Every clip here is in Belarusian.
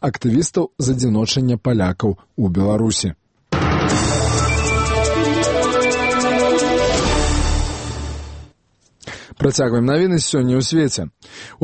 актывістаў з адзіночання палякаў у Беларусі. Працягваем навіны сёння ў свеце.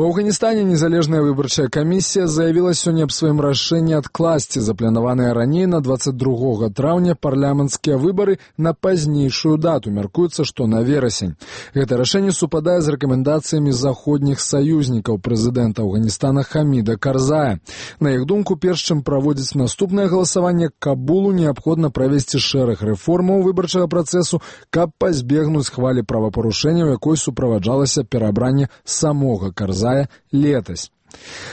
У Афганістане незалежная выбарчая камісія заявіла сёння аб сваім рашэнні адкласці запланаваныя раней на 22 траўня парламенцкія выбары на пазнейшую дату. Мяркуецца, што на верасень. Гэта рашэнне супадае з рэкамендацыямі заходніх саюзнікаў прэзідэнта Афганістана Хаміда Карзая. На іх думку, перш чым праводзіць наступнае галасаванне, Кабулу неабходна правесці шэраг рэформаў выбарчага працэсу, каб пазбегнуць хвалі правапарушэнняў, якой суправаджалася перабранне самога Карзая летась.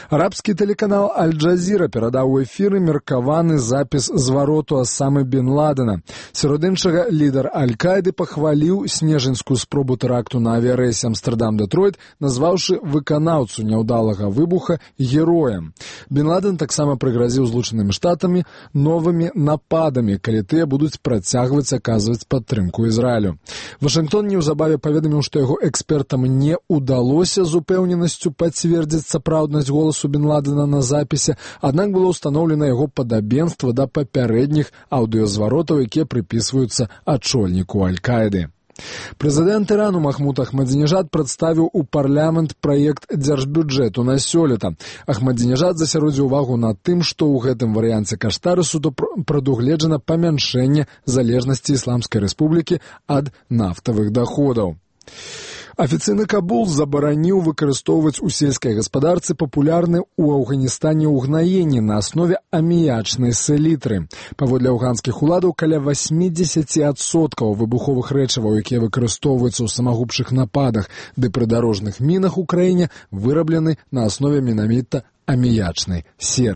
Арабскі тэлеканал Аль-Джазіра перадаў у эфіры меркаваны запіс звароту Асамы бен Ладена. Сярод іншага, лідар Аль-Каіды пахваліў снежаньскую спробу тэракту на авіярэйсе Амстэрдам-Дэтройт, назваўшы выканаўцу няўдалага выбуха героем. Бен Ладен таксама прыгразіў Злучанымі Штатамі новымі нападамі, калі тыя будуць працягваць аказваць падтрымку Ізраілю. Вашынгтон неўзабаве паведаміў, што яго экспертам не ўдалося з упэўненасцю пацвердзіць сапраўднасць голасу Бен Ладена на запісе, аднак было ўстаноўлена яго падабенства да папярэдніх аўдыёзваротаў, якія прыпісваюцца ачольніку Аль-Каіды. Прэзідэнт Ірану Махмуд Ахмадзінежад прадставіў у парламент праект дзяржбюджэту на сёлета. Ахмадзінежад засяродзіў увагу на тым, што ў гэтым варыянце каштарысу прадугледжана памяншэнне залежнасці Ісламскай Рэспублікі ад нафтавых даходаў. Афіцыйны Кабул забараніў выкарыстоўваць у сельскай гаспадарцы папулярны ў Афганістане ўгнаенні на аснове аміячнай селітры. Паводле афганскіх уладаў, каля 80% выбуховых рэчываў, якія выкарыстоўваюцца ў самагубчых нападах ды прыдарожных мінах у краіне, выраблены на аснове менавіта аміячнай серы.